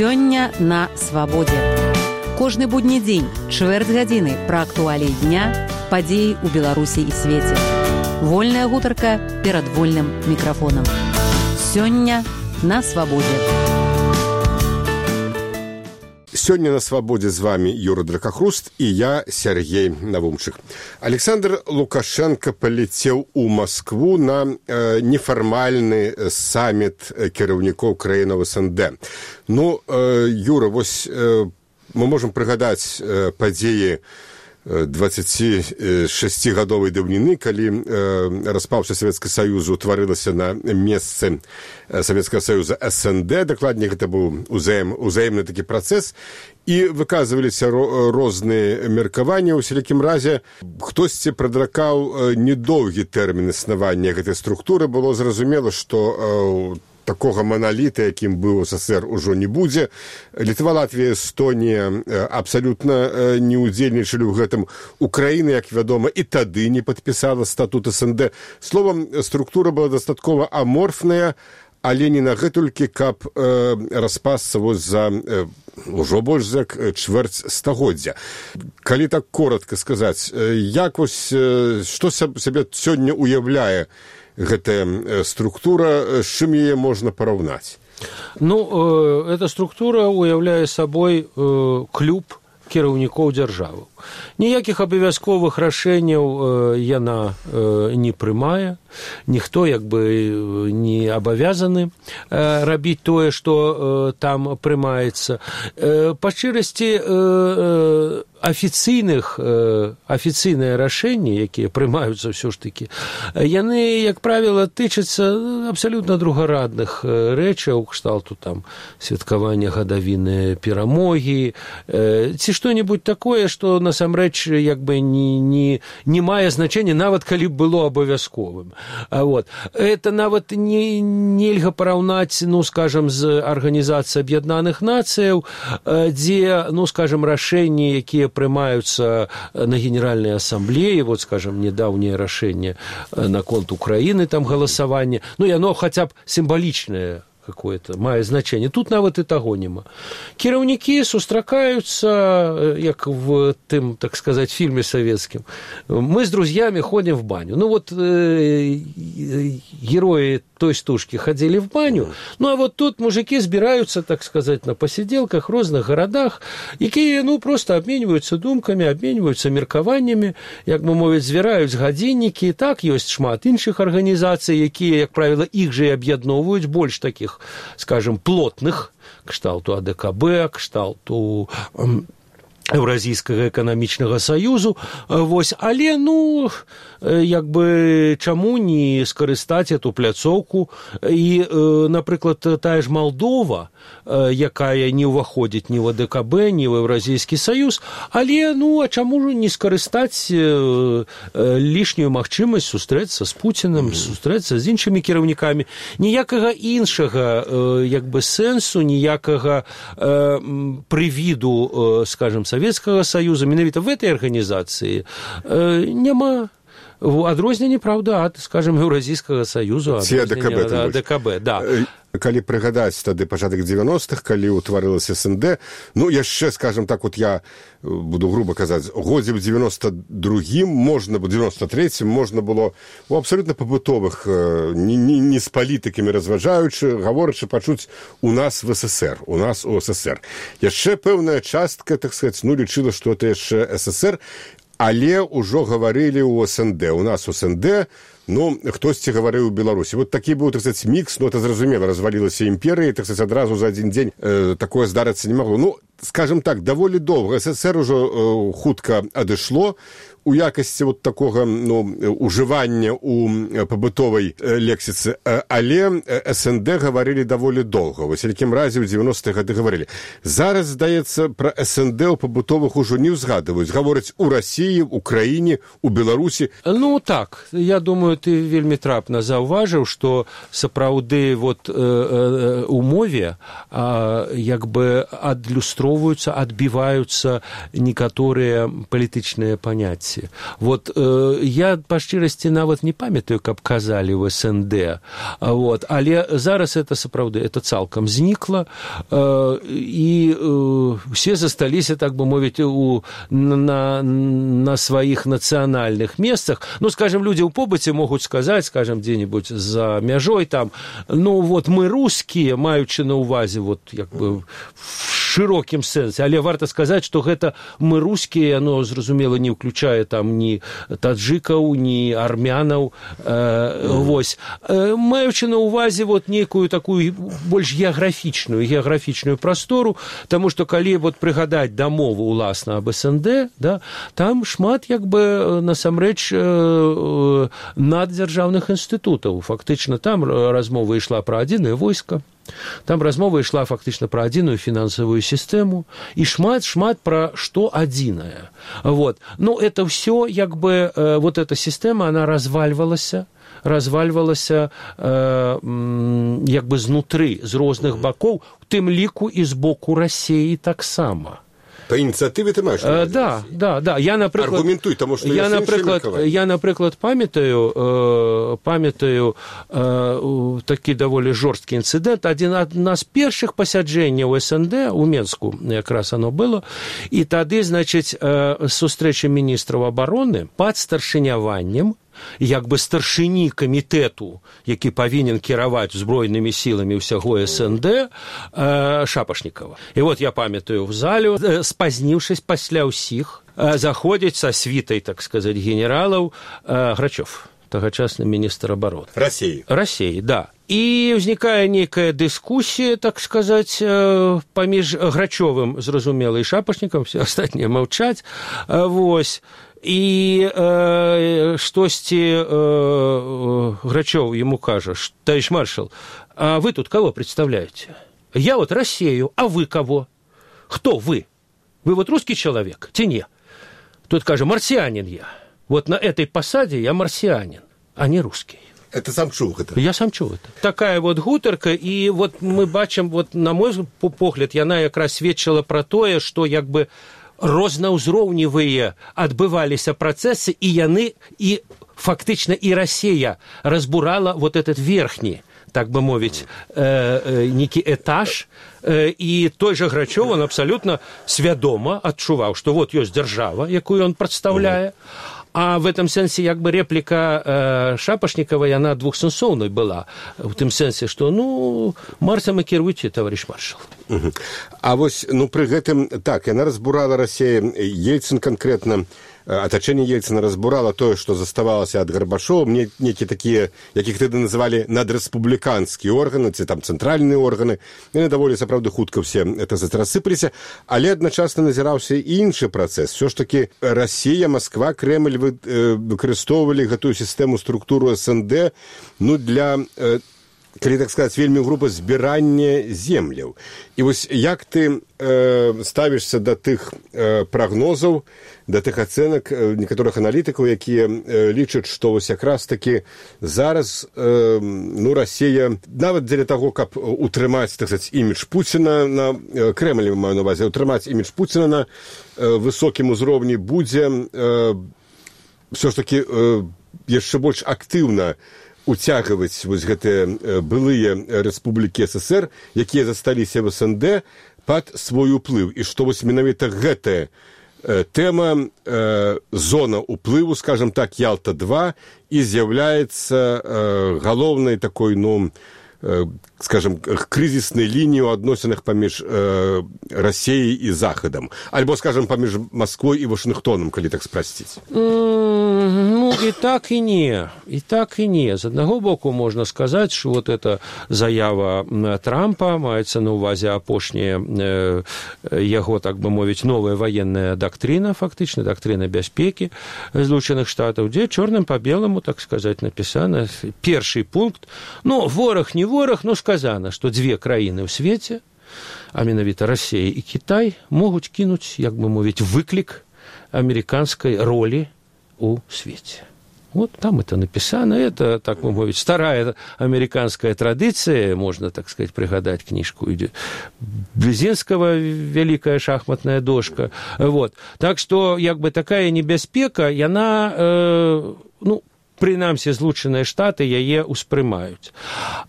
Сёння на свабодзе. Кожны будні дзень, чвэрць гадзіны пра актуаліі дня, падзеі ў Беларусі і свеце. Вольная гутарка перад вольным мікрафонам. Сёння на свабодзе. Сёння на свабодзе з вами Юра Дракахруст і я, Сергей Навумчык. Александр Лукашенко паляцеў у Маскву на нефармальны саміт кіраўнікоў краінаў СНД. Ну, Юра, вось мы можам прыгадаць падзеі 26-гадовай даўніны, калі распаўся Савецкага Саюзу утварылася на месцы Савецкага Саюза СНД, дакладней гэта быў узаемны такі працэс, і выказваліся розныя меркаванні. У сялякім разе хтосьці прадракаў недоўгі тэрмін існавання гэтай структуры. Было зразумела, што такога маналіта, якім быў СССР, ужо не будзе. Літва, Латвія, Эстонія абсалютна не ўдзельнічалі ў гэтым. Украіна, як вядома, і тады не падпісала статут СНД. Словам, структура была дастаткова аморфная, але не на гэтулькі, каб распасца за ўжо больш за чвэрць стагоддзя. Калі так коротка сказаць, як вось, што сабе сёння уяўляе гэтая структура, з чым яе можна параўнаць? Ну, эта структура уяўляе сабой клуб кіраўнікоў дзяржавы. Ніякіх абавязковых рашэнняў яна не прымае, ніхто як бы не абавязаны рабіць тое, што там прымаецца. Па шчырасці, афіцыйныя рашэнні, якія прымаюцца ўсё ж такі, яны, як правіла, тычацца абсалютна другарадных рэчаў, кшталту там святкавання гадавіны перамогі, ці што-небудзь такое, што насамрэч як бы не мае значэння, нават калі б было абавязковым. Вот. Это нават нельга параўнаць, ну, скажам, з Арганізацыяй Аб'яднаных Нацыяў, дзе, ну, скажам, рашэнні, якія прымаюцца на Генеральнай Асамблеі, вот, скажам, недаўняе рашэнне наконт Украіны, там галасаванне, ну, яно хаця б сімвалічнае какое-то мае значение. Тут нават і таго няма. Кіраўнікі сустракаюцца, як в тым, так сказать, фильме советским. Мы с друзьями ходим в баню. Ну вот герои той стужки ходили в баню, ну а вот тут мужики збираюцца, так сказать, на посиделках в розных городах, якія, ну, просто обмениваются думками, обмениваются меркаваннями, як мы мовіць, збіраюць гадзіннікі. Так, ёсць шмат іншых арганізацый, якія, як правіла, іх же і аб'ядноўваюць, больш такіх, скажем, плотных, кшталту АДКБ, кшталту Еўразійскага эканамічнага саюзу, вось, але, ну, як бы, чаму не скарыстаць эту пляцоўку, і, напрыклад, тая ж Малдова, якая не ўваходзіць ні в АДКБ, ні в Еўразійскі саюз, але, ну, а чаму ж не скарыстаць лішнюю магчымасць сустрэцца з Пуцінам, сустрэцца з іншымі кіраўнікамі? Ніякага іншага, як бы, сэнсу, ніякага прывіду, скажем, Советского Союза, менавіта в этой организации няма. Адрозненне, правда, ад, скажем, Еўразійскага Саюзу, адрозненне АДКБ, да. Калі прыгадаць тады пачатак 90-х, калі ўтварылася СНД, ну, яшчэ, скажем так, вот я буду грубо казаць, годзе в 92-м, можна было, 93-м, можна было у абсолютно побытовых, не з палітыкамі разважаючы, гаворачы, пачуць у нас в СССР, у нас у СССР. Яшчэ пэўная частка, так сказаць, ну, лічыла, што это яшчэ СССР, але ўжо гаварылі ў СНД. У нас у СНД, ну, хтосьці гаварыў у Беларусі. Вот такі быў, так сказаць, мікс, ну, это зразумела, развалілася імперыя, так сказаць, адразу за адзін дзень такое здарыцца не магло. Ну, скажем так, даволі доўга. СССР ужо хутка адышло у якасці вот такога, ну, ужывання ў пабытовай лексіцы, але СНД гаварылі даволі доўга. Вось, якім разе ў 90-х гады гаварылі. Зараз, здаецца, пра СНД ў пабытовых ужо не ўзгадваюць. Гавораць у Расіі, у краіне, у Беларусі. Ну, так, я думаю, ты вельмі трапна заўважыў, што сапраўды вот у мове як бы адлюстроўваецца адмяжоўваюцца, адбіваюцца некаторыя палітычныя паняцці. Вот я па шчырасці нават не памятаю, каб казалі ў СНД, вот, але зараз это сапраўды это цалкам знікла, і все засталіся, так бы мовіць, на сваіх нацыянальных месцах. Ну, скажем, люди ў побыце могуць сказаць, скажем, дзе-нибудь за мяжой там, ну, вот мы русские, маючы на ўвазе, вот, як бы, в шырокім сэнсе, але варта сказаць, што гэта мы русские, оно, зразумела, не ўключае там ні таджыкаў, ні армянаў, вось. Маючы на ўвазе вот некую такую больш геаграфічную прастору, таму што калі вот прыгадаць дамову уласна аб СНД, да, там шмат як бы насамрэч наддзяржаўных інстытутаў. Фактычна там размова ішла пра адзінае войска, там размова ішла фактычна пра адзіную фінансавую сістэму і шмат пра што адзінае. Вот. Ну, это все як бы вот эта сістэма, она развальвалася як бы знутры, з розных бакоў, у тым ліку і з боку Расіі таксама. По ініцыятыве ты маеш? Да. Я, напрыклад, аргументуй, тому што я напрыклад, памятаю такі даволі жорсткі інцыдэнт. Адна з першых пасяджэнняў СНД у Менску, якраз оно было, і тады, значыць, сустрэча міністраў абароны пад старшыняваннем як бы старшыні камітэту, які павінен кіраваць збройнымі сіламі ўсяго СНД, Шапашнікава. І вот я памятаю в залю, спазніўшись пасля ўсіх, заходзіць са світай, так сказаць, генералаў Грачёв, тагачасны міністр абароны. Расіі, да. І ўзнікае нейкая дыскусія, так сказаць, паміж Грачёвым, зразумела, і Шапашнікам, все астатнія маўчаць, вось. И штосьці Грачёв ему кажа: товарищ маршал, а вы тут кого представляете? Я вот Россию, а вы кого? Кто вы? Вы вот русский человек? Те не. Тут кажа: марсианин я. Вот на этой посаде я марсианин, а не русский. Это сам чуў гэта? Я сам чуў это. Такая вот гутарка, і вот мы бачым, вот, на мой погляд, яна якраз сведчыла пра тое, што як бы рознаўзроўневыя адбываліся працэсы, і яны, і фактычна і Расія разбурала вот этот верхні, так бы мовіць, нейкі этаж, і той жа Грачёв, он абсалютна свядома адчуваў, што вот ёсць дзяржава, якую он прадстаўляе, а в этом сэнсе як бы реплика Шапашнікава, яна двухсэнсоўнай была, в тым сэнсе, што, ну, марсам і кіруйце, товарищ маршал. А вось, ну, пры гэтым, так, яна разбурала Расія, Ельцин конкретно, атачэнне Ельцина разбурала тое, што заставалася ад Гарбачова, нейкія такія, якіх тады называлі надрэспубліканскія органы, ці там цэнтральныя органы, яны даволі сапраўды хутка все это рассыпаліся, але адначасна назіраўся і іншы працэс. Все ж таки Расія, Москва, Кремль выкарыстоўвалі гэтую сістэму структуру СНД, ну, для, калі так сказаць, вельмі груба збірання земляў. І вось як ты ставішся да тых прагнозаў, да тых ацэнак некаторых аналітыкаў, якія лічаць, што вось якраз такі зараз, ну, Расія, нават дзеля таго, каб утрымаць, так сказаць, імідж Пуціна на Кремлі, маю на ўвазе, утрымаць імідж Пуціна на высокім узроўні, будзе ўсё ж такі яшчэ больш актыўна уцягваць вось гэтыя былыя рэспублікі СССР, якія засталіся в СНД, пад свой уплыў. І што вось менавіта гэтая тэма, зона уплыву, скажем так, Ялта-2, і з'яўляецца галоўнай такой, ну, скажем, крызіснай лініі ў адносінах паміж Расіяй і Захадам. Альбо, скажем, паміж Масквой і Вашынгтонам, калі так спрасціць. Ну, і так і не. І так і не. З аднаго боку можна сказаць, што вот эта заява Трампа, маецца на ўвазе апошняя яго, так бы мовіць, новая ваенная дактрына, фактычна, дактрына бяспекі Злучаных Штатаў, дзе чорным па беламу, так сказаць, напісана першы пункт. Ну, вораг не вораг, но сказано, што дзве краіны ў свеце, а менавіта Расія і Кітай, могуць кінуць, як бы мовіць, выклік амерыканскай ролі у свеце. Вот там это написано. Это, так мы говорим, старая американская традиция. Можно, так сказать, пригадать книжку Близинского «Великая шахматная дошка». Вот. Так что, як бы, такая небяспека, яна, прынамсі, Злучаныя Штаты яе ўспрымаюць.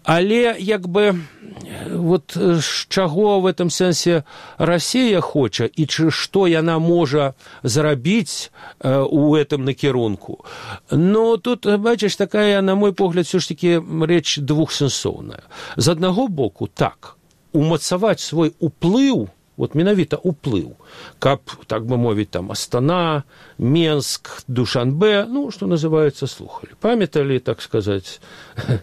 Але, як бы, вот чаго в этом сэнсе Расія хоча і што яна можа зрабіць у этом накірунку. Но тут, бачыш, такая, на мой погляд, все ж таки рэч двухсэнсоўная. З аднаго боку, так, умацаваць свой уплыў, вот менавіта уплыў, каб, так бы мовіць, там, Астана, Менск, Душанбе, что называется, слухали. Памятали, так сказать,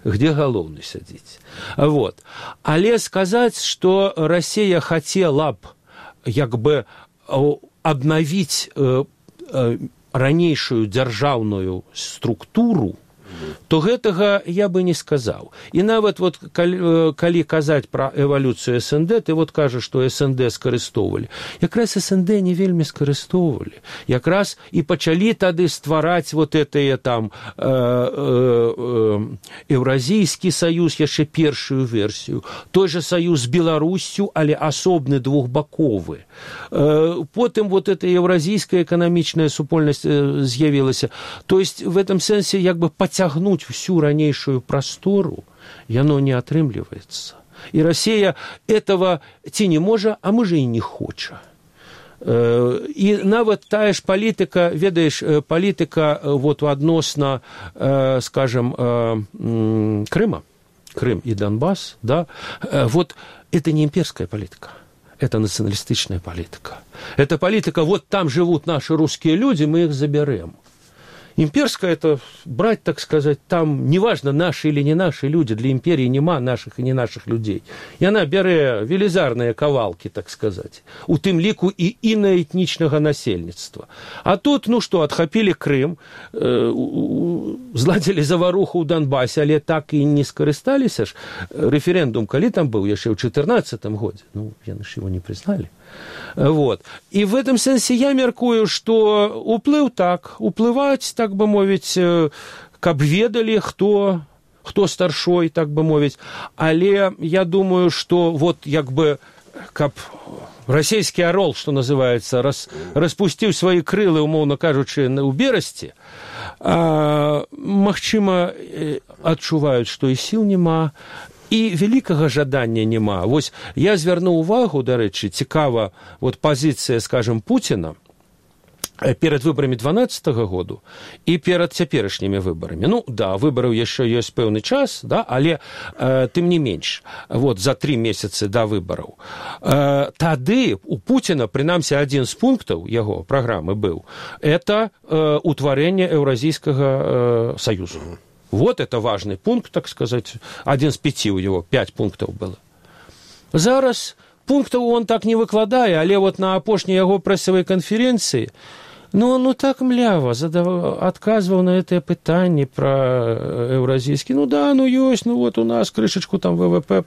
где галоўны сядзіць. Вот. Але сказаць, што Расія хацела б, як бы, обновить ранейшую дзяржаўную структуру, то гэтага я бы не сказаў. І нават вот, калі казаць пра эвалюцыю СНД, ты вот кажаш, што СНД скарыстоўвалі. Якраз СНД не вельмі скарыстоўвалі. Якраз і пачалі тады ствараць вот гэтыя там Еўразійскі саюз, яшчэ першую версію, той жа саюз з Беларуссю, але асобны двухбаковы. Потым вот эта еўразійская эканамічная супольнасць з'явілася. То есть в этом сэнсе як бы потягнуть всю ранейшую простору, яно не атрымліваецца. І Расія этого ці не можа, а можа і не хоча. І нават тая ж палітыка, ведаеш, палітыка вот адносна, скажем, Крыма, Крым и Донбасс, да, вот это не имперская политика. Это националистичная политика. Это политика, вот там живут наши русские люди, мы их заберем. Имперская – это брать, так сказать, там, неважно, наши или не наши люди, для империи нема наших и не наших людей. И она бярэ велізарныя кавалки, так сказать, у тым ліку і інаэтнічнага насельніцтва. А тут, адхапілі Крым, зладзілі заваруху ў Донбассе, але так і не скарысталіся ж. Референдум, калі там быў, яшчэ ў 2014 годзе, яны ж его не признали. Вот. И в этом сенсе я мяркую, что уплыў так, уплываць, так бы мовіць, каб ведалі, хто старшой, так бы мовіць. Але я думаю, что вот як бы, каб расійскі орол, что называется, распусціў свои крылы, умоўно кажучы, у Берасці, магчыма, адчуваюць, што і сіл нема, і вялікага жадання няма. Вось я звярнуў увагу, дарэчы, цікава, вот пазіцыя, скажем, Пуціна перад выбарамі 12-го году і перад цяперашнімі выбарамі. Выбараў яшчэ ёсць пэўны час, да, але тым не менш, вот за 3 месяцы да выбараў. Тады у Пуціна, прынамсі, адзін з пунктаў яго праграмы быў, это утварэнне Еўразійскага саюзу. Вот это важный пункт, так сказать. 1 з 5 у него, 5 пунктов было. Зараз пунктов он так не выкладае, але вот на апошняй яго прэсавай канферэнцыі, так млява адказваў на гэтае пытанне пра еўразійскі. Ёсць, вот у нас крышачку там ВВП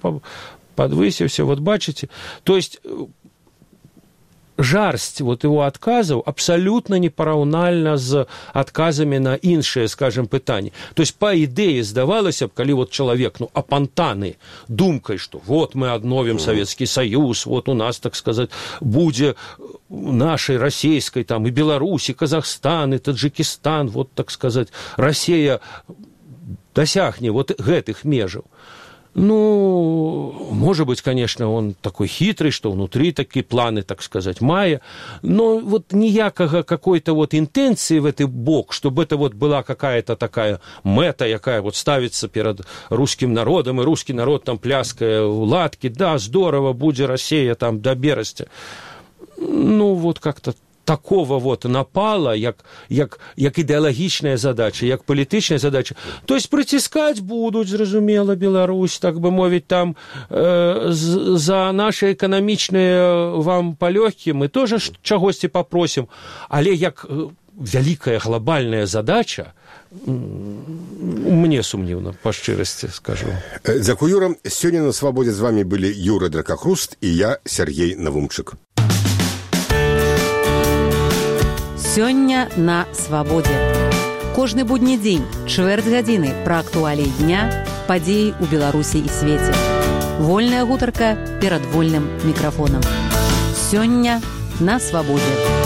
подвысіўся, вот бачыце. То есть жарсць вот его отказаў абсолютно непараўнальна з отказами на іншыя, скажем, пытанні. То есть, по ідэі, здавалася б, калі вот чалавек, апантаны думкай, што вот мы адновім Савецкі Саюз, вот у нас, так сказать, будзе нашай расійскай, там, і Беларусь, і Казахстан, і Таджикистан, вот, так сказать, Расія дасягне вот гэтых межаў. Может быть, конечно, он такой хитрый, что внутри такие планы, так сказать, мае, но вот ніякага какой-то вот интенции в этот бок, чтобы это вот была какая-то такая мета, якая вот ставится перед русским народом, и русский народ там пляская у ладки, да, здорово, будзе Россия там до Берасця. Вот как-то такого вот напала, як ідэалагічная задача, як палітычная задача. То есть прыціскаць будуць, зразумела, Беларусь, так бы мовіць, там за наши эканамічныя вам палёгкі мы тоже чагосьці попросім, але як вялікая глобальная задача, мне сумнівна, па шчырасці скажу. Дзякуй, Юра. Сёння на Свабодзе з вами былі Юра Дракахруст і я, Сергей Навумчык. Сёння на Свабодзе. Кожны будні дзень, чвэрць гадзіны пра актуаліі дня, падзеі ў Беларусі і свеце. Вольная гутарка перад вольным мікрафонам. Сёння на свабодзе.